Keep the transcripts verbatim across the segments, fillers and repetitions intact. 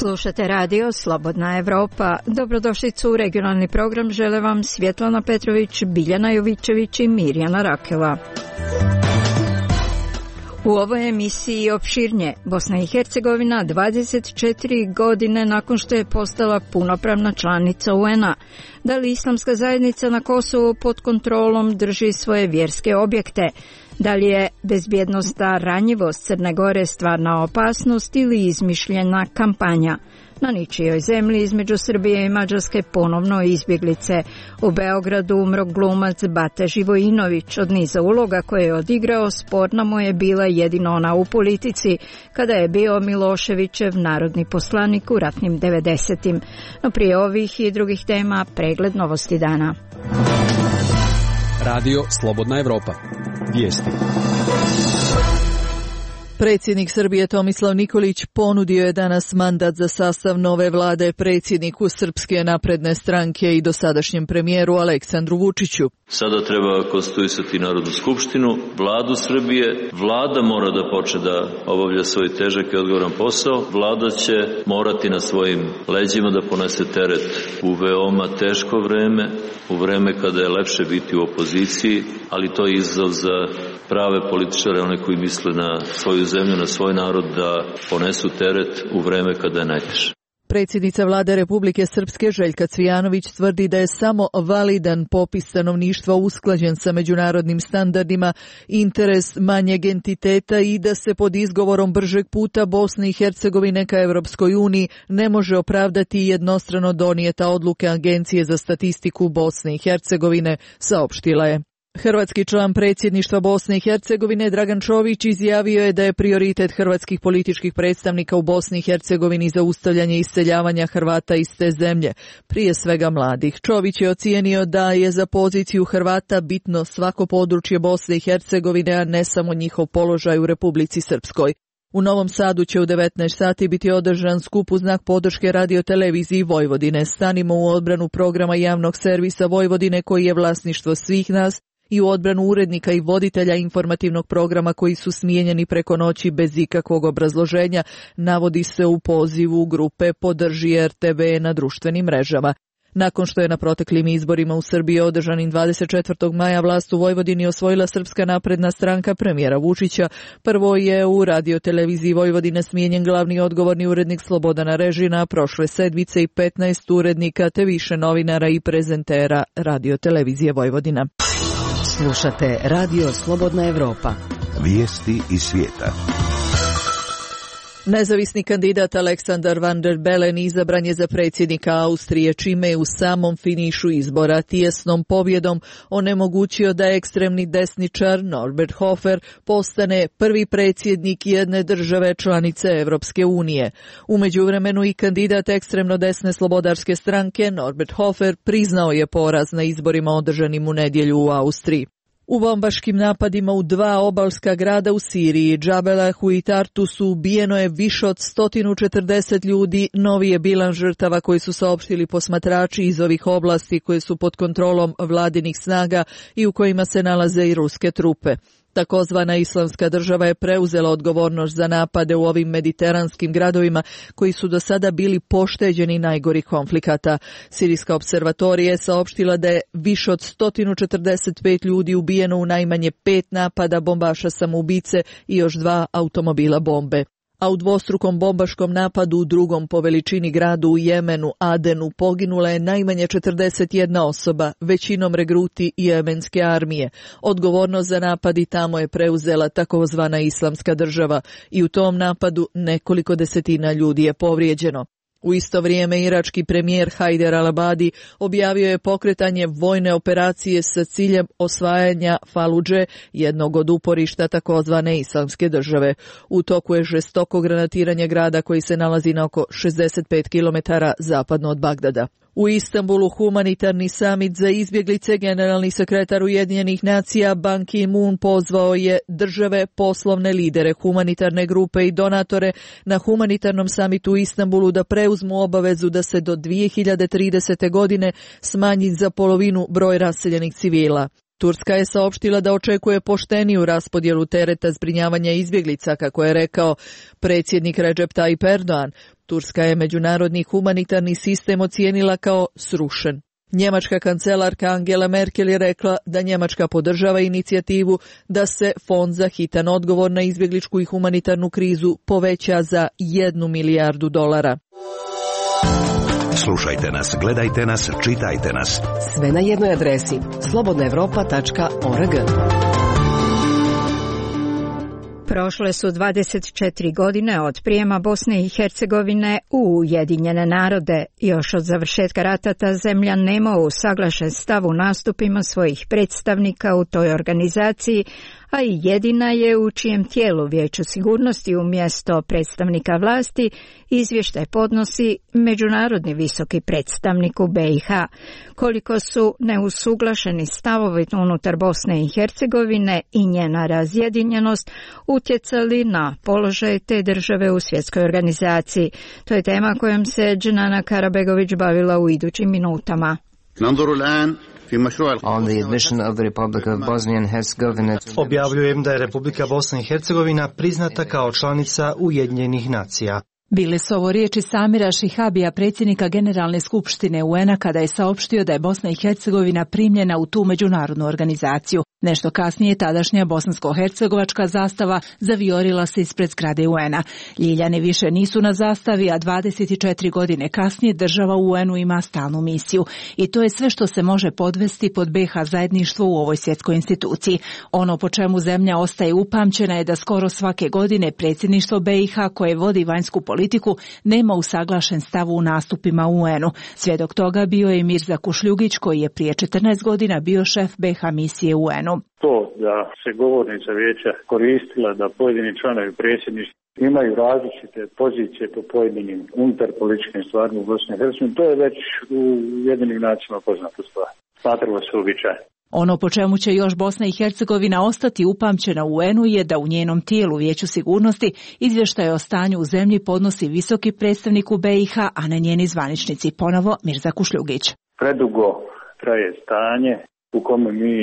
Slušate radio Slobodna Evropa. Dobrodošlicu u regionalni program žele vam Svjetlana Petrović, Biljana Jovičević i Mirjana Rakela. U ovoj emisiji opširnje, Bosna i Hercegovina dvadeset četiri godine nakon što je postala punopravna članica U N A. Da li islamska zajednica na Kosovu pod kontrolom drži svoje vjerske objekte? Da li je bezbjednosna ranjivost Crne Gore stvarna opasnost ili izmišljena kampanja? Na ničijoj zemlji između Srbije i Mađarske ponovno izbjeglice. U Beogradu umro glumac Bata Živojinović. Od niza uloga koje je odigrao, sporna mu je bila jedino ona u politici, kada je bio Miloševićev narodni poslanik u ratnim devedesetim. No prije ovih i drugih tema pregled novosti dana. Radio Slobodna Evropa. Vijesti. Predsjednik Srbije Tomislav Nikolić ponudio je danas mandat za sastav nove vlade predsjedniku Srpske napredne stranke i dosadašnjem premijeru Aleksandru Vučiću. Sada treba konstituisati Narodnu skupštinu, vladu Srbije. Vlada mora da počne da obavlja svoj težak i odgovoran posao. Vlada će morati na svojim leđima da ponese teret u veoma teško vreme, u vreme kada je lepše biti u opoziciji, ali to je izazov za prave političare, one koji misle na svoju zemlju, na svoj narod, da ponesu teret u vreme kada je najteže. Predsjednica vlade Republike Srpske Željka Cvijanović tvrdi da je samo validan popis stanovništva usklađen sa međunarodnim standardima, interes manjeg entiteta i da se pod izgovorom bržeg puta Bosne i Hercegovine ka Evropskoj uniji ne može opravdati jednostrano donijeta odluke Agencije za statistiku Bosne i Hercegovine, saopštila je. Hrvatski član predsjedništva Bosne i Hercegovine Dragan Čović izjavio je da je prioritet hrvatskih političkih predstavnika u Bosni i Hercegovini zaustavljanje iseljavanja Hrvata iz te zemlje, prije svega mladih. Čović je ocijenio da je za poziciju Hrvata bitno svako područje Bosne i Hercegovine, a ne samo njihov položaj u Republici Srpskoj. U Novom Sadu će u devetnaest sati biti održan skup u znak podrške radioteleviziji Vojvodine. Stanimo u odbranu programa javnog servisa Vojvodine koji je vlasništvo svih nas, i u odbranu urednika i voditelja informativnog programa koji su smijenjeni preko noći bez ikakvog obrazloženja, navodi se u pozivu grupe Podrži R T V na društvenim mrežama. Nakon što je na proteklim izborima u Srbiji održanim dvadeset četvrtog maja vlast u Vojvodini osvojila Srpska napredna stranka premijera Vučića, prvo je u radioteleviziji Vojvodine smijenjen glavni odgovorni urednik Slobodana Režina, prošle sedmice i petnaest urednika te više novinara i prezentera radiotelevizije Vojvodina. Slušate Radio Slobodna Evropa. Vijesti iz svijeta. Nezavisni kandidat Aleksandar Van der Bellen izabran je za predsjednika Austrije, čime je u samom finišu izbora tijesnom pobjedom onemogućio da ekstremni desničar Norbert Hofer postane prvi predsjednik jedne države članice Evropske unije. U međuvremenu i kandidat ekstremno desne slobodarske stranke Norbert Hofer priznao je poraz na izborima održanim u nedjelju u Austriji. U bombaškim napadima u dva obalska grada u Siriji, Džabelahu i Tartusu, ubijeno je više od sto četrdeset ljudi, novi je bilan žrtava koji su saopštili posmatrači iz ovih oblasti koje su pod kontrolom vladinih snaga i u kojima se nalaze i ruske trupe. Takozvana islamska država je preuzela odgovornost za napade u ovim mediteranskim gradovima koji su do sada bili pošteđeni najgorih konflikata. Sirijska observatorija je saopštila da je više od sto četrdeset pet ljudi ubijeno u najmanje pet napada bombaša samoubice i još dva automobila bombe. A u dvostrukom bombaškom napadu u drugom po veličini gradu u Jemenu, Adenu, poginula je najmanje četrdeset jedna osoba, većinom regruti jemenske armije. Odgovornost za napad i tamo je preuzela takozvana islamska država i u tom napadu nekoliko desetina ljudi je povrijeđeno. U isto vrijeme irački premijer Hajder al-Abadi objavio je pokretanje vojne operacije sa ciljem osvajanja Faludže, jednog od uporišta takozvane islamske države. U toku je žestoko granatiranje grada koji se nalazi na oko šezdeset pet kilometara zapadno od Bagdada. U Istanbulu humanitarni samit za izbjeglice, generalni sekretar Ujedinjenih nacija Ban Ki-moon pozvao je države, poslovne lidere, humanitarne grupe i donatore na humanitarnom samitu u Istanbulu da preuzmu obavezu da se do dvije hiljade tridesete godine smanji za polovinu broj raseljenih civila. Turska je saopštila da očekuje pošteniju raspodjelu tereta zbrinjavanja izbjeglica, kako je rekao predsjednik Recep Tayyip Erdogan. Turska je međunarodni humanitarni sistem ocijenila kao srušen. Njemačka kancelarka Angela Merkel je rekla da Njemačka podržava inicijativu da se fond za hitan odgovor na izbjegličku i humanitarnu krizu poveća za jednu milijardu dolara. Slušajte nas, gledajte nas, čitajte nas. Sve na jednoj adresi slobodna europa tačka org. Prošle su dvadeset četiri godine od prijema Bosne i Hercegovine u Ujedinjene narode. Još od završetka rata ta zemlja nema usaglašen stav u nastupima svojih predstavnika u toj organizaciji, a i jedina je u čijem tijelu Vijeću sigurnosti umjesto predstavnika vlasti izvještaj podnosi međunarodni visoki predstavnik u be i ha. Koliko su neusuglašeni stavovi unutar Bosne i Hercegovine i njena razjedinjenost utjecali na položaj te države u svjetskoj organizaciji. To je tema kojom se Dženana Karabegović bavila u idućim minutama. On the admission of the Republic of Bosnia and Herzegovina. Objavljujem da je Republika Bosna i Hercegovina priznata kao članica Ujedinjenih nacija. Bile su ovo riječi Samira Šihabija, predsjednika Generalne skupštine u en a, kada je saopštio da je Bosna i Hercegovina primljena u tu međunarodnu organizaciju. Nešto kasnije tadašnja bosansko-hercegovačka zastava zavijorila se ispred zgrade u en a. Ljiljani više nisu na zastavi, a dvadeset četiri godine kasnije država u u en u ima stalnu misiju. I to je sve što se može podvesti pod be ha zajedništvo u ovoj svjetskoj instituciji. Ono po čemu zemlja ostaje upamćena je da skoro svake godine predsjedništvo be i ha, koje vodi vanjsku politiku, nema usaglašen stav u nastupima u u en u. Svjedok toga bio je Mirza Kušljugić, koji je prije četrnaest godina bio šef be ha misije u u en u. To da se govornica vijeća koristila da pojedini članovi predsjedništva imaju različite pozicije po pojedinim unutar političkim stvarima u Bosni i Hercegovini, to je već u Ujedinjenim nacijama poznata stvar. Smatralo se uobičajeno. Ono po čemu će još Bosna i Hercegovina ostati upamćena u u en u je da u njenom tijelu Vijeću sigurnosti izvještaj o stanju u zemlji podnosi visoki predstavnik u be i ha, a ne njeni zvaničnici, ponovo Mirza Kušljugić. Predugo traje stanje u kome mi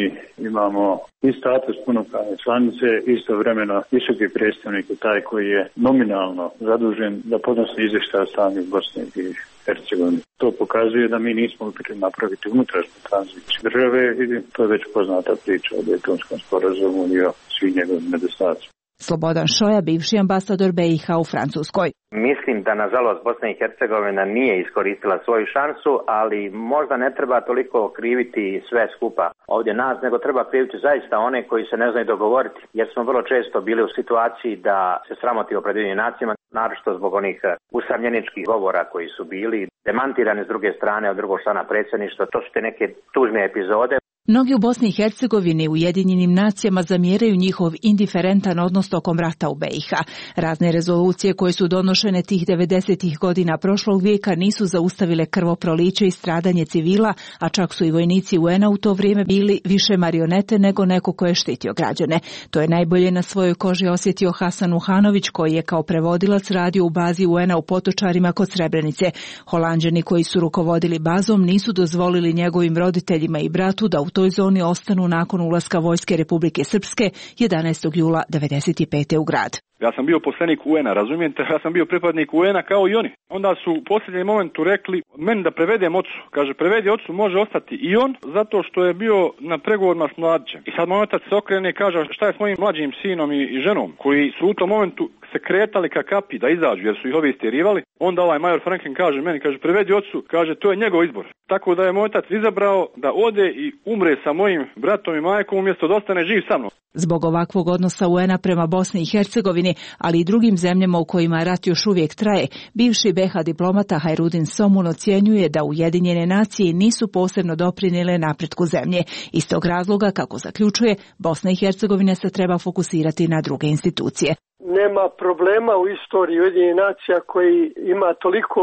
imamo i status punopravne članice, istovremeno visoki predstavnik je taj koji je nominalno zadužen da podnosi izvještaj o stanju u Bosni i Hercegovini. To pokazuje da mi nismo uspjeli napraviti unutrašnju tranziciju države i to je već poznata priča o Daytonskom sporazumu i o svim njegovim nedostacima. Slobodan Šoja, bivši ambasador be i ha u Francuskoj. Mislim da nažalost Bosna i Hercegovina nije iskoristila svoju šansu, ali možda ne treba toliko kriviti sve skupa ovdje nas, nego treba kriviti zaista one koji se ne znaju dogovoriti, jer smo vrlo često bili u situaciji da se sramotimo pred Ujedinjenim nacijama, naročito zbog onih usamljeničkih govora koji su bili demantirani s druge strane od drugog člana predsjedništva. To su te neke tužne epizode. Mnogi u Bosni i Hercegovini u Ujedinjenim nacijama zamjeraju njihov indiferentan odnos tokom rata u be i ha. Razne rezolucije koje su donošene tih devedesetih godina prošlog vijeka nisu zaustavile krvoproliće i stradanje civila, a čak su i vojnici u en a u to vrijeme bili više marionete nego neko ko je štitio građane. To je najbolje na svojoj koži osjetio Hasan Uhanović, koji je kao prevodilac radio u bazi u en a u Potočarima kod Srebrenice. Holanđani koji su rukovodili bazom nisu dozvolili njegovim roditeljima i bratu da u toj zoni ostanu nakon ulaska vojske Republike Srpske jedanaestog jula devedeset pete u grad. Ja sam bio poslanik u en a, razumijete? Ja sam bio pripadnik u en a kao i oni. Onda su u posljednjem momentu rekli meni da prevedem ocu. Kaže, prevedi ocu, može ostati i on, zato što je bio na pregovorima s mladićem. I sad moj otac se okrene i kaže, šta je s mojim mlađim sinom i, i ženom, koji su u tom momentu se kretali ka kapi da izađu, jer su ih ovi istjerivali. Onda ovaj major Franklin kaže meni, kaže, prevedi ocu, kaže, to je njegov izbor. Tako da je moj otac izabrao da ode i umre sa mojim bratom i majkom umjesto da ostane živ sa mnom. Zbog ovakvog odnosa u en a prema Bosni i Hercegovini, ali i drugim zemljama u kojima rat još uvijek traje, bivši be ha diplomata Hajrudin Somun ocjenjuje da Ujedinjene nacije nisu posebno doprinijele napretku zemlje. Iz tog razloga, kako zaključuje, Bosna i Hercegovina se treba fokusirati na druge institucije. Nema problema u istoriji Ujedinjenih nacija koji ima toliko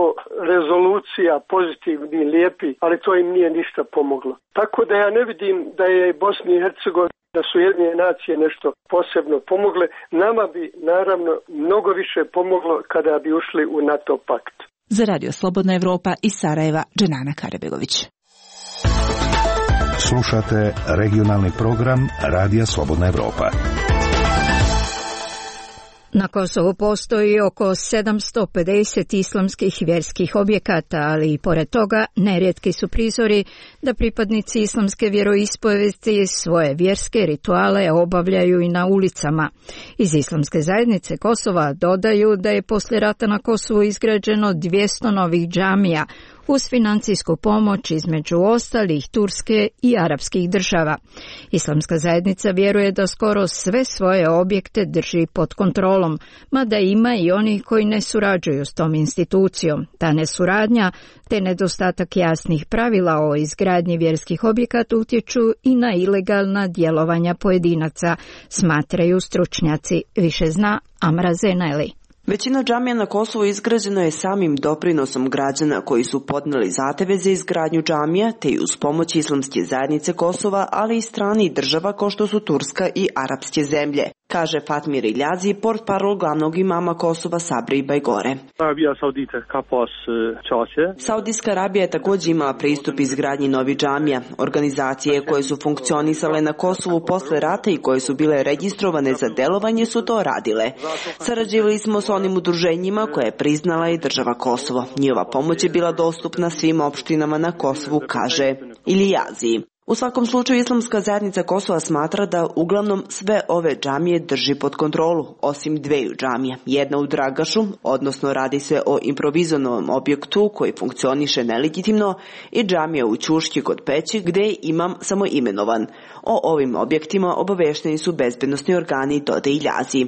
rezolucija pozitivni i lijepi, ali to im nije ništa pomoglo. Tako da ja ne vidim da je Bosni i Hercegovina, da su Ujedinjene nacije nešto posebno pomogle. Nama bi naravno mnogo više pomoglo kada bi ušli u NATO pakt. Za Radio Slobodna Evropa iz Sarajeva, Dženana Karabegović. Slušate regionalni program Radija Slobodna Evropa. Na Kosovu postoji oko sedamsto pedeset islamskih vjerskih objekata, ali i pored toga nerijetki su prizori da pripadnici islamske vjeroispovesti svoje vjerske rituale obavljaju i na ulicama. Iz Islamske zajednice Kosova dodaju da je poslije rata na Kosovu izgrađeno dvjesto novih džamija, uz financijsku pomoć između ostalih turske i arapskih država. Islamska zajednica vjeruje da skoro sve svoje objekte drži pod kontrolom, mada ima i oni koji ne surađuju s tom institucijom. Ta nesuradnja te nedostatak jasnih pravila o izgradnji vjerskih objekata utječu i na ilegalna djelovanja pojedinaca, smatraju stručnjaci. Više zna Amra Zeneli. Većina džamija na Kosovu izgrađeno je samim doprinosom građana koji su podnijeli zahtjeve za izgradnju džamija, te i uz pomoć Islamske zajednice Kosova, ali i stranih država kao što su Turska i arapske zemlje, kaže Fatmir Iljazi, portparol glavnog imama Kosova Sabri Bajgore. Saudijska Arabija je također imala pristup izgradnji novih džamija. Organizacije koje su funkcionisale na Kosovu posle rata i koje su bile registrovane za delovanje su to radile. Sarađivali smo s onim udruženjima koje je priznala i država Kosovo. Njihova pomoć je bila dostupna svim opštinama na Kosovu, kaže Iljazi. U svakom slučaju Islamska zajednica Kosova smatra da uglavnom sve ove džamije drži pod kontrolu, osim dveju džamija. Jedna u Dragašu, odnosno radi se o improvizovanom objektu koji funkcioniše nelegitimno, i džamija u Ćuški kod Peći gdje je imam samo imenovan. O ovim objektima obavešteni su bezbednosni organi, dodaje Iljazi.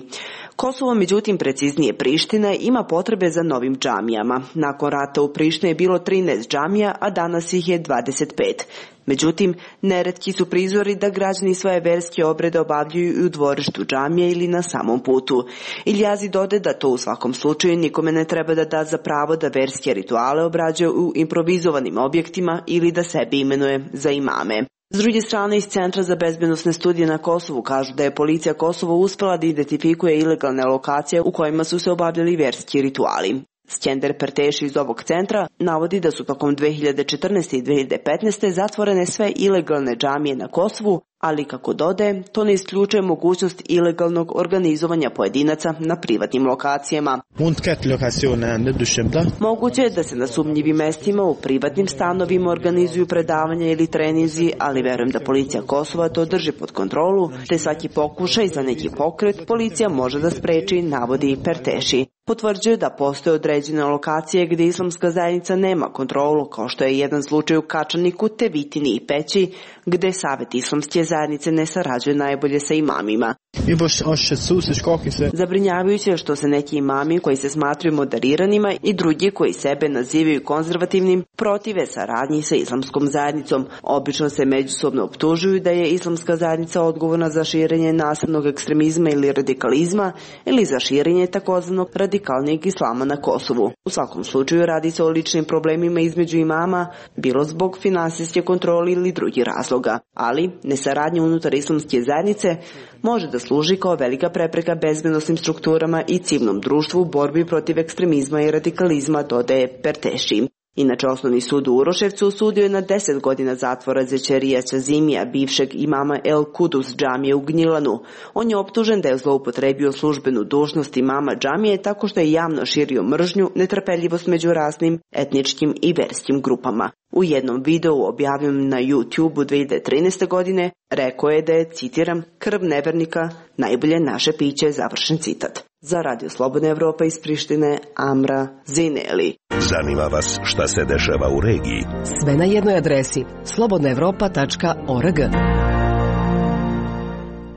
Kosovo, međutim, preciznije Priština, ima potrebe za novim džamijama. Nakon rata u Prištini je bilo trinaest džamija, a danas ih je dvadeset pet. Međutim, neretki su prizori da građani svoje verske obrede obavljaju i u dvorištu džamije ili na samom putu. Iljazi dode da to u svakom slučaju nikome ne treba da da za pravo da verske rituale obrađuje u improvizovanim objektima ili da sebi imenuje za imame. S druge strane, iz Centra za bezbednosne studije na Kosovu kažu da je policija Kosovo uspela da identifikuje ilegalne lokacije u kojima su se obavljali verski rituali. Skender Perteši iz ovog centra navodi da su tokom dve hiljade četrnaeste i dve hiljade petnaeste zatvorene sve ilegalne džamije na Kosovu, ali kako dodaje, to ne isključuje mogućnost ilegalnog organizovanja pojedinaca na privatnim lokacijama. Moguće je da se na sumnjivim mestima u privatnim stanovima organizuju predavanja ili trenizi, ali verujem da policija Kosova to drži pod kontrolu, te svaki pokušaj za neki pokret policija može da spreči, navodi Perteši. Potvrđuje da postoje određene lokacije gdje Islamska zajednica nema kontrolu, kao što je jedan slučaj u Kačaniku, Tevitini i Peći, gdje Savet Islamske zajednice ne sarađuje najbolje sa imamima. Zabrinjavajuće je što se neki imami koji se smatruju moderiranima i drugi koji sebe nazivaju konzervativnim protive saradnji sa Islamskom zajednicom. Obično se međusobno optužuju da je Islamska zajednica odgovorna za širenje nasilnog ekstremizma ili radikalizma ili za širenje takozvanog radikalnijeg islama na Kosovu. U svakom slučaju radi se o ličnim problemima između imama, bilo zbog finansijske kontrole ili drugih razloga, ali nesaradnja unutar Islamske zajednice može da služi kao velika prepreka bezbednosnim strukturama i civilnom društvu u borbi protiv ekstremizma i radikalizma, dodaje Perteši. Inače, Osnovni sud u Uroševcu osudio je na deset godina zatvora Zećerija Ćazimija, bivšeg imama El Kudus džamije u Gnjilanu. On je optužen da je zloupotrebio službenu dužnost imama džamije tako što je javno širio mržnju, netrpeljivost među raznim etničkim i verskim grupama. U jednom videu objavljenom na YouTube-u dve hiljade trinaeste. godine rekao je da je, citiram, krv nevernika najbolje naše piće, završen citat. Za Radio Slobodna Evropa iz Prištine, Amra Zineli. Zanima vas šta se dešava u regiji? Sve na jednoj adresi slobodna evropa tačka org.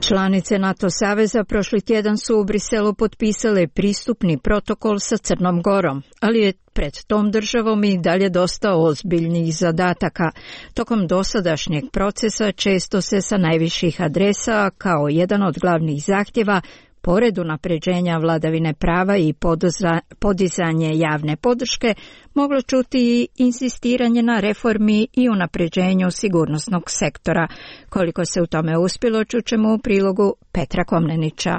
Članice NATO saveza prošli tjedan su u Briselu potpisale pristupni protokol sa Crnom Gorom, ali je pred tom državom i dalje dosta ozbiljnih zadataka. Tokom dosadašnjeg procesa često se sa najviših adresa kao jedan od glavnih zahtjeva pored unapređenja vladavine prava i podizanje javne podrške, moglo čuti i insistiranje na reformi i unapređenju sigurnosnog sektora. Koliko se u tome uspjelo, čućemo u prilogu Petra Komnenića.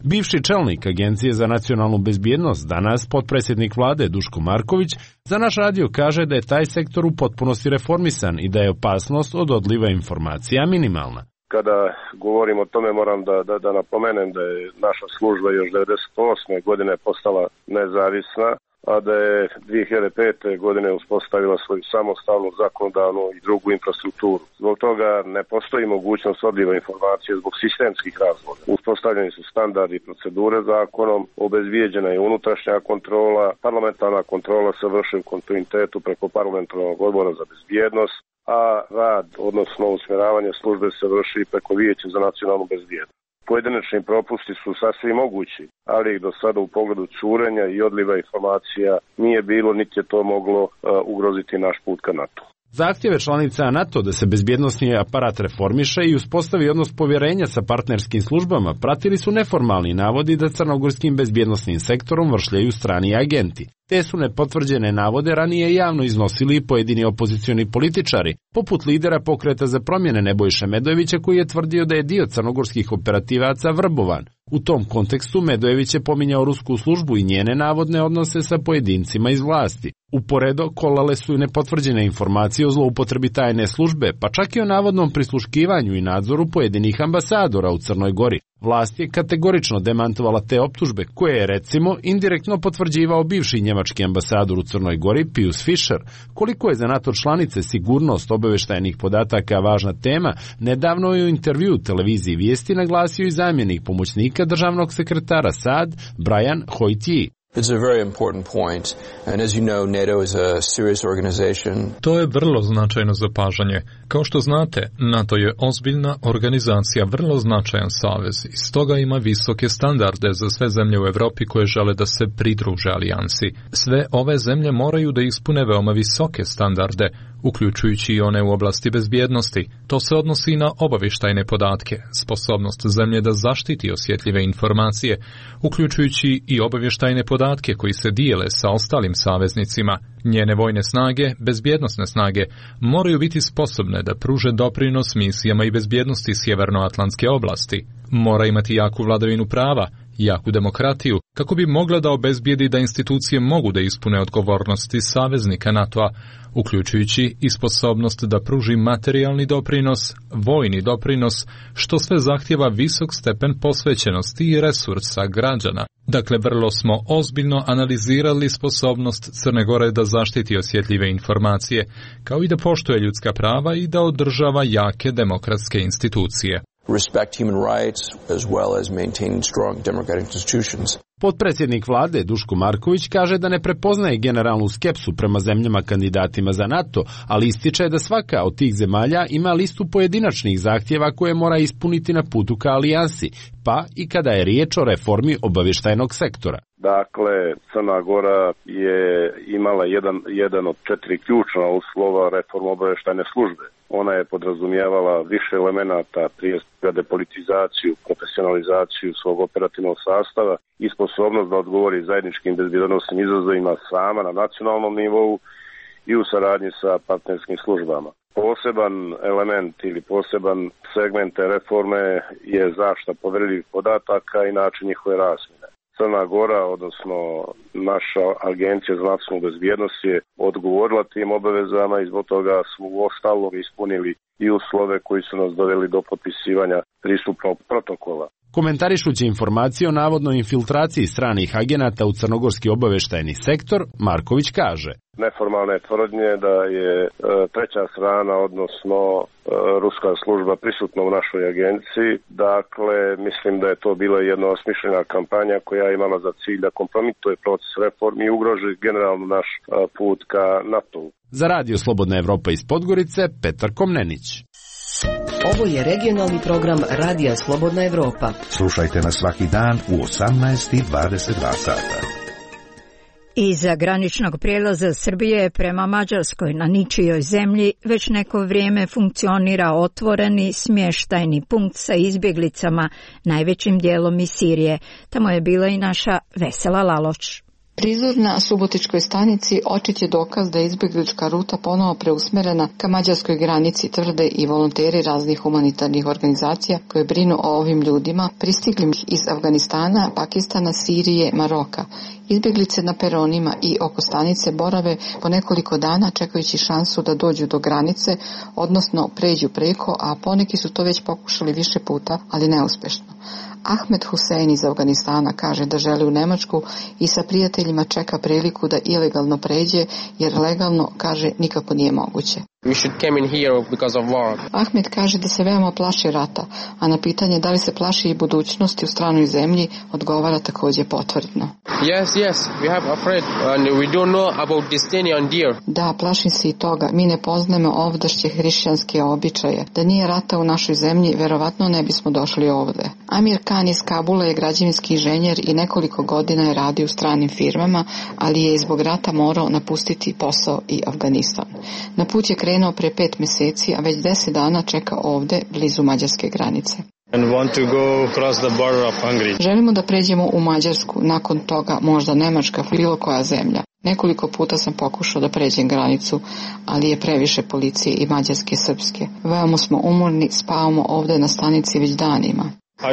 Bivši čelnik Agencije za nacionalnu bezbjednost, danas potpredsjednik vlade Duško Marković, za naš radio kaže da je taj sektor u potpunosti reformisan i da je opasnost od odliva informacija minimalna. Kada govorim o tome moram da, da, da napomenem da je naša služba još devedeset osme godine postala nezavisna, a da je dvije hiljade pete. godine uspostavila svoju samostalnu zakonodavnu i drugu infrastrukturu. Zbog toga ne postoji mogućnost odliva informacije zbog sistemskih razloga. Uspostavljeni su standardi i procedure zakonom, obezbijeđena je unutrašnja kontrola, parlamentarna kontrola se vrši u kontinuitetu preko parlamentarnog odbora za bezbjednost, a rad, odnosno usmjeravanje službe se vrši preko Vijeća za nacionalnu bezbjednost. Pojedinačni propusti su sasvim mogući, ali ih do sada u pogledu curenja i odliva informacija nije bilo, niti je to moglo uh, ugroziti naš put ka NATO. Zahtjeve članica NATO da se bezbjednosni aparat reformiše i uspostavi odnos povjerenja sa partnerskim službama pratili su neformalni navodi da crnogorskim bezbjednosnim sektorom vršljaju strani agenti. Te su nepotvrđene navode ranije javno iznosili pojedini opozicioni političari, poput lidera Pokreta za promjene Nebojše Medojevića koji je tvrdio da je dio crnogorskih operativaca vrbovan. U tom kontekstu Medojević je pominjao rusku službu i njene navodne odnose sa pojedincima iz vlasti. Uporedo kolale su i nepotvrđene informacije o zloupotrebi tajne službe, pa čak i o navodnom prisluškivanju i nadzoru pojedinih ambasadora u Crnoj Gori. Vlast je kategorično demantovala te optužbe, koje je, recimo, indirektno potvrđivao bivši njemački ambasador u Crnoj Gori, Pius Fischer. Koliko je za NATO članice sigurnost obavještajnih podataka važna tema, nedavno je u intervju televiziji Vijesti naglasio i zamjenik pomoćnika državnog sekretara S A D, Brian Hoytije. It's a very important point, and as you know, NATO is a serious organization. To je vrlo značajno zapažanje. Kao što znate, NATO je ozbiljna organizacija, vrlo značajan savez i stoga ima visoke standarde za sve zemlje u Europi koje žele da se pridruže alijansi. Sve ove zemlje moraju da ispune veoma visoke standarde, uključujući i one u oblasti bezbjednosti. To se odnosi i na obavještajne podatke, sposobnost zemlje da zaštiti osjetljive informacije, uključujući i obavještajne podatke koji se dijele sa ostalim saveznicima. Njene vojne snage, bezbjednosne snage, moraju biti sposobne da pruže doprinos misijama i bezbjednosti Sjevernoatlantske oblasti. Mora imati jaku vladavinu prava, jaku demokratiju, kako bi mogla da obezbijedi da institucije mogu da ispune odgovornosti saveznika NATO-a, uključujući i sposobnost da pruži materijalni doprinos, vojni doprinos, što sve zahtjeva visok stepen posvećenosti i resursa građana. Dakle, vrlo smo ozbiljno analizirali sposobnost Crne Gore da zaštiti osjetljive informacije, kao i da poštuje ljudska prava i da održava jake demokratske institucije. Respect human rights as well as maintaining strong democratic institutions. Potpredsjednik vlade Duško Marković kaže da ne prepoznaje generalnu skepsu prema zemljama kandidatima za NATO, ali ističe da svaka od tih zemalja ima listu pojedinačnih zahtjeva koje mora ispuniti na putu ka alijansi, pa i kada je riječ o reformi obavještajnog sektora. Dakle, Crna Gora je imala jedan, jedan od četiri ključna uslova reforme obavještajne službe. Ona je podrazumijevala više elemenata, prije svega depolitizaciju, profesionalizaciju svog operativnog sastava i sposobnost da odgovori zajedničkim bezbjednosnim izazovima sama na nacionalnom nivou i u saradnji sa partnerskim službama. Poseban element ili poseban segment te reforme je zaštita povjerljivih podataka i način njihove razmjene. Crna Gora, odnosno naša agencija za nacionalnu bezbjednost je odgovorila tim obavezama i zbog toga smo u ostalom ispunili i uslove koji su nas doveli do potpisivanja pristupnog protokola. Komentarišući informacije o navodnoj infiltraciji stranih agenata u crnogorski obavještajni sektor, Marković kaže: neformalne tvrdnje da je e, treća strana, odnosno e, ruska služba prisutna u našoj agenciji. Dakle, mislim da je to bila jedna osmišljena kampanja koja je imala za cilj da kompromituje proces reformi i ugroži generalno naš e, put ka NATO-u. Za Radio Slobodna Evropa iz Podgorice, Petar Komnenić. Ovo je regionalni program Radija Slobodna Evropa. Slušajte nas svaki dan u osamnaest i dvadeset dva sata. Iza graničnog prijelaza Srbije prema Mađarskoj na ničijoj zemlji već neko vrijeme funkcionira otvoreni smještajni punkt sa izbjeglicama, najvećim dijelom iz Sirije. Tamo je bila i naša Vesela Laloč. Prizor na Subotičkoj stanici očit je dokaz da je izbjeglička ruta ponovo preusmerena ka mađarskoj granici, tvrde i volonteri raznih humanitarnih organizacija koje brinu o ovim ljudima pristiglim iz Afganistana, Pakistana, Sirije, Maroka. Izbjeglice na peronima i oko stanice borave po nekoliko dana čekajući šansu da dođu do granice, odnosno pređu preko, a poneki su to već pokušali više puta, ali neuspešno. Ahmed Husein iz Afganistana kaže da želi u Nemačku i sa prijateljima čeka priliku da ilegalno pređe, jer legalno, kaže, nikako nije moguće. We should come in here because of war. Ahmed kaže da se veoma plaši rata, a na pitanje da li se plaši i budućnosti u stranoj zemlji odgovara također potvrdno. Yes, yes, we have afraid and we don't know about destiny on dear. Da, plašim se i toga. Mi ne poznajemo ovdašnje hrišćanske običaje. Da nije rata u našoj zemlji, verovatno ne bismo došli ovde. Amir Khan iz Kabula je građevinski inženjer i nekoliko godina je radio u stranim firmama, ali je zbog rata morao napustiti posao i Afganistan. Na put je krenuo pre pet mjeseci, a već deset dana čeka ovde, blizu mađarske granice. And want to go across the border of Hungary. Želimo da pređemo u Mađarsku, nakon toga možda Nemačka, bilo koja zemlja. Nekoliko puta sam pokušao da pređem granicu, ali je previše policije i mađarske i srpske. Veoma smo umorni, spavamo ovde na stanici već danima.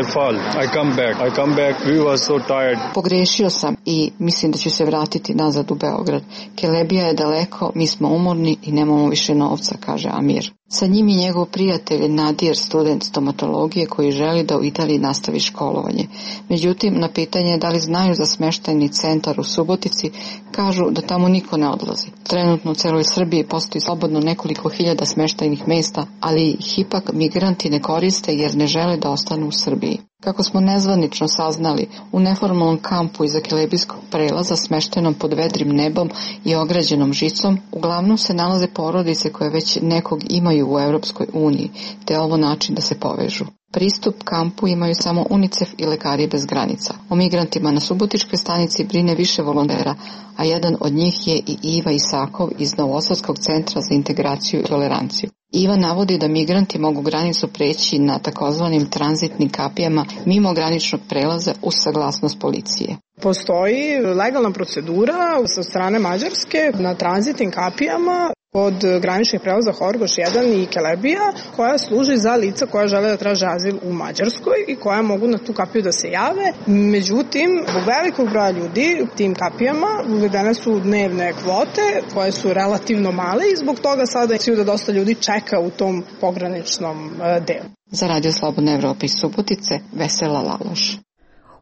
I fall, I come back, I come back, we were so tired. Pogrešio sam i mislim da ću se vratiti nazad u Beograd. Kelebija je daleko, mi smo umorni i nemamo više novca, kaže Amir. Sa njim je njegov prijatelj Nadir, student stomatologije koji želi da u Italiji nastavi školovanje. Međutim, na pitanje da li znaju za smeštajni centar u Subotici, kažu da tamo niko ne odlazi. Trenutno u celoj Srbiji postoji slobodno nekoliko hiljada smeštajnih mesta, ali ih ipak migranti ne koriste jer ne žele da ostanu u Srbiji. Kako smo nezvanično saznali, u neformalnom kampu iza Kelebijskog prelaza smeštenom pod vedrim nebom i ograđenom žicom, uglavnom se nalaze porodice koje već nekog imaju u Europskoj uniji, te je ovo način da se povežu. Pristup kampu imaju samo UNICEF i Lekari bez granica. O migrantima na Subotičkoj stanici brine više volontera, a jedan od njih je i Iva Isakov iz Novosadskog centra za integraciju i toleranciju. Iva navodi da migranti mogu granicu preći na takozvanim tranzitnim kapijama mimo graničnog prelaza uz saglasnost policije. Postoji legalna procedura sa strane Mađarske na tranzitnim kapijama od graničnih prelaza Horgoš jedan i Kelebija, koja služi za lica koja žele da traže azil u Mađarskoj i koja mogu na tu kapiju da se jave. Međutim, zbog velikog broja ljudi tim kapijama uvedene su dnevne kvote koje su relativno male i zbog toga sada je da dosta ljudi čeka u tom pograničnom delu. Za Radio Slobodna Evropa iz Subotice, Vesela Laloš.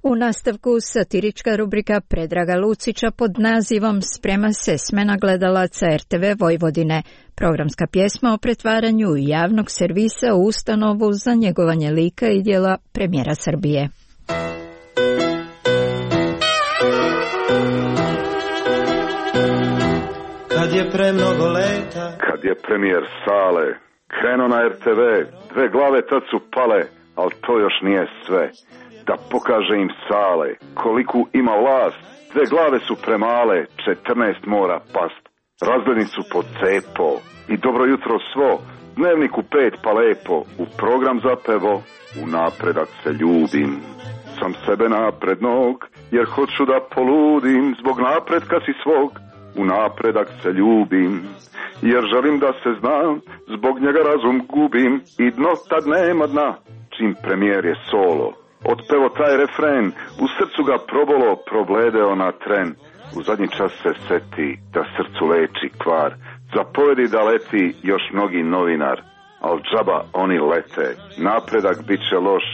U nastavku satirička rubrika Predraga Lucića pod nazivom Sprema se smena gledalaca er te ve Vojvodine, programska pjesma o pretvaranju javnog servisa u ustanovu za njegovanje lika i djela premijera Srbije. Kad je premnogo leta, kad je premijer Sale krenuo na er te ve, dve glave tad su pale, ali to još nije sve. Da pokaže im Sale koliku ima vlast, dve glave su premale, četrnaest mora past. Razglednicu su pod cepo i dobro jutro svo, dnevnik u pet pa lepo, u program zapevo, u napredak se ljubim. Sam sebe naprednog, jer hoću da poludim, zbog napretka si svog, u napredak se ljubim. Jer želim da se znam, zbog njega razum gubim i dno tad nema dna, čim premijer je solo. Otpevo taj refren, u srcu ga probolo, probledeo na tren. U zadnji čas se seti da srcu leči kvar. Zapovedi da leti još mnogi novinar, al džaba oni lete. Napredak bit će loš,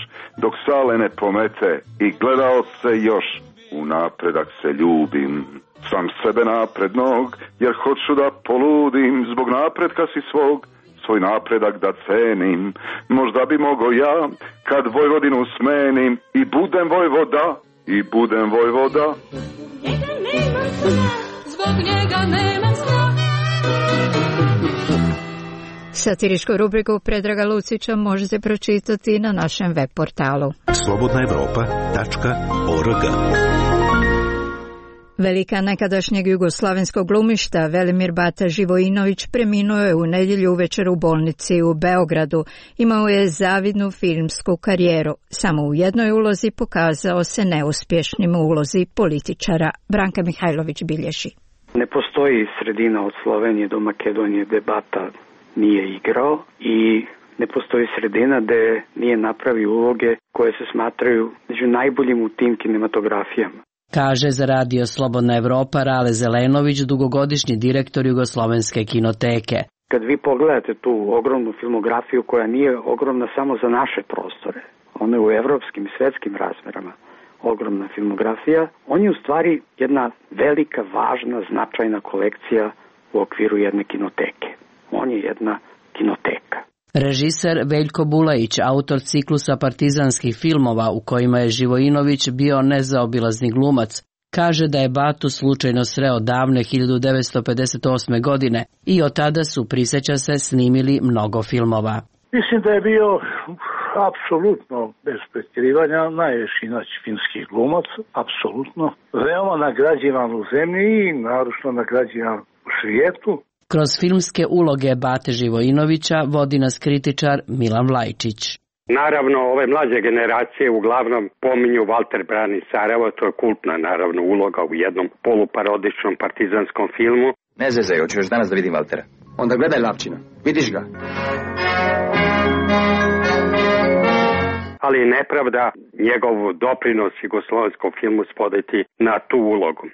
dok Sale ne pomete i gledaoce još. U napredak se ljubim, sam sebe naprednog, jer hoću da poludim, zbog napretka si svog. Svoj napredak da cenim, možda bi mogo ja, kad Vojvodinu smenim, i budem vojvoda, i budem vojvoda. Zbog njega nemam sna. Satiričku rubriku Predraga Lucića možete pročitati na našem web portalu slobodna evropa tačka org. Velika nekadašnjeg jugoslavenskog glumišta Velimir Bata Živojinović preminuo je u nedjelju uvečer u bolnici u Beogradu. Imao je zavidnu filmsku karijeru. Samo u jednoj ulozi pokazao se neuspješnim u ulozi političara. Branka Mihajlović bilježi. Ne postoji sredina od Slovenije do Makedonije gde Bata nije igrao i ne postoji sredina gde nije napravio uloge koje se smatraju među najboljim u tim kinematografijama. Kaže za radio Slobodna Evropa Rale Zelenović, dugogodišnji direktor Jugoslovenske kinoteke. Kad vi pogledate tu ogromnu filmografiju koja nije ogromna samo za naše prostore, ona je u evropskim i svetskim razmerama ogromna filmografija, on je u stvari jedna velika, važna, značajna kolekcija u okviru jedne kinoteke. On je jedna kinoteka. Režiser Veljko Bulajić, autor ciklusa partizanskih filmova u kojima je Živojinović bio nezaobilazni glumac, kaže da je Batu slučajno sreo davne hiljadu devetsto pedeset osme. godine i od tada su, prisjeća se, snimili mnogo filmova. Mislim da je bio apsolutno, bez pretjerivanja, najveći naš filmski glumac, apsolutno. Veoma nagrađivan u zemlji i naročno nagrađivan u svijetu. Kroz filmske uloge Bate Živojinovića vodi nas kritičar Milan Vlajčić. Naravno, ove mlađe generacije uglavnom pominju Walter brani Sarajevo, to je kultna naravno uloga u jednom poluparodičnom partizanskom filmu. Ne zezaj, hoću još danas da vidim Valtera. Onda gledaj Lapčina, vidiš ga. Ali nepravda njegov doprinos jugoslovenskom filmu spodeti na tu ulogu.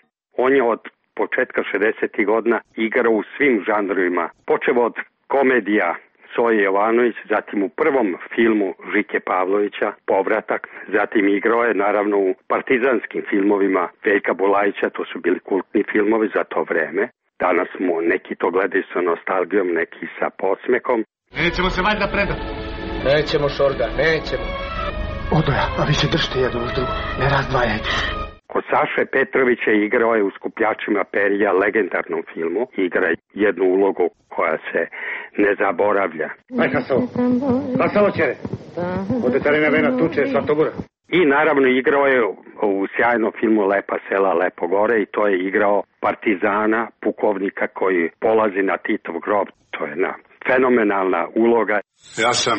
On je od početka šezdesetih godina igrao u svim žanrovima, počeo od komedija Soje Jovanović, zatim u prvom filmu Žike Pavlovića, Povratak, zatim igrao je naravno u partizanskim filmovima Veljka Bulajića, to su bili kultni filmovi za to vreme. Danas mu neki to gledaju sa nostalgijom, neki sa podsmekom. Nećemo se valjda predati. Nećemo, Šorga, nećemo. Odoja, a vi se držite jedno uz drugo, ne razdvajajte. Kod Saše Petrovića igrao je u Skupljačima perja, legendarnom filmu. Igra jednu ulogu koja se ne zaboravlja. Aj, Hasovo, Hasovo čere, ode carina vena tuče Slatogora. I naravno igrao je u sjajnom filmu Lepa sela, Lepo gore i to je igrao partizana, pukovnika koji polazi na Titov grob. To je jedna fenomenalna uloga. Ja sam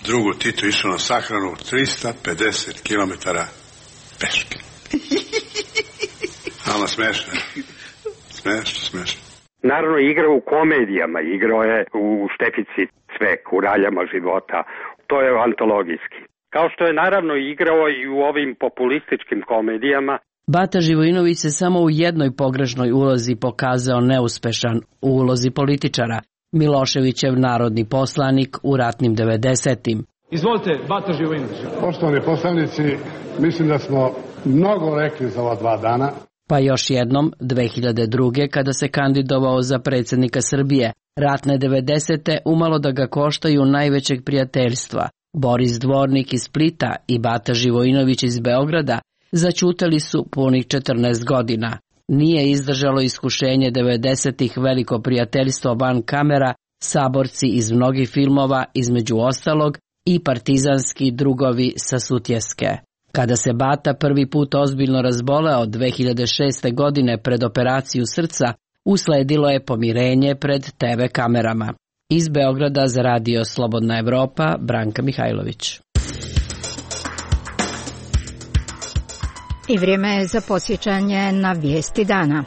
drugu Titu išao na sahranu tristo pedeset kilometara peške. Ali smešno, smešno, smešno. Naravno igrao u komedijama, igrao je u Štefici Cvek, u Raljama života, to je antologijski. Kao što je naravno igrao i u ovim populističkim komedijama. Bata Živojinović se samo u jednoj pogrešnoj ulozi pokazao neuspešan, u ulozi političara, Miloševićev narodni poslanik u ratnim devedesetim. Izvolite, Bata Živojinović. Poštovani poslanici, mislim da smo mnogo rekli za ova dva dana. Pa još jednom, dve hiljade druge. kada se kandidovao za predsjednika Srbije, ratne devedesete umalo da ga koštaju najvećeg prijateljstva. Boris Dvornik iz Splita i Bata Živojinović iz Beograda začutali su punih četrnaest godina. Nije izdržalo iskušenje devedesetih veliko prijateljstvo van kamera, saborci iz mnogih filmova, između ostalog i partizanski drugovi sa Sutjeske. Kada se Bata prvi put ozbiljno razboleo dve hiljade šeste. godine pred operaciju srca, usledilo je pomirenje pred te ve kamerama. Iz Beograda za radio Slobodna Evropa, Branka Mihajlović. I vrijeme je za podsjećanje na vijesti dana.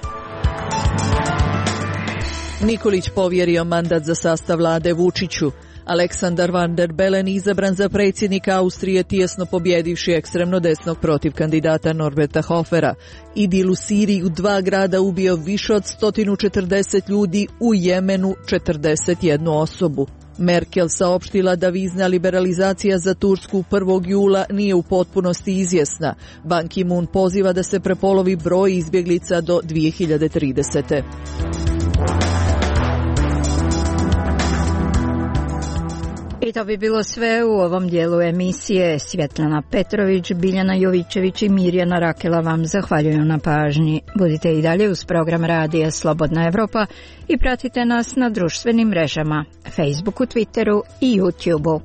Nikolić povjerio mandat za sastav vlade Vučiću. Aleksandar Van der Bellen izabran za predsjednika Austrije tijesno pobjedivši ekstremno desnog protiv kandidata Norberta Hofera. Idil u Siriji u dva grada ubio više od sto četrdeset ljudi, u Jemenu četrdeset jednu osobu. Merkel saopštila da vizna liberalizacija za Tursku prvog jula nije u potpunosti izvjesna. Ban Ki-moon poziva da se prepolovi broj izbjeglica do dvije hiljade tridesete. I to bi bilo sve u ovom dijelu emisije. Svjetlana Petrović, Biljana Jovićević i Mirjana Rakela vam zahvaljuju na pažnji. Budite i dalje uz program Radija Slobodna Evropa i pratite nas na društvenim mrežama, Facebooku, Twitteru i YouTubeu.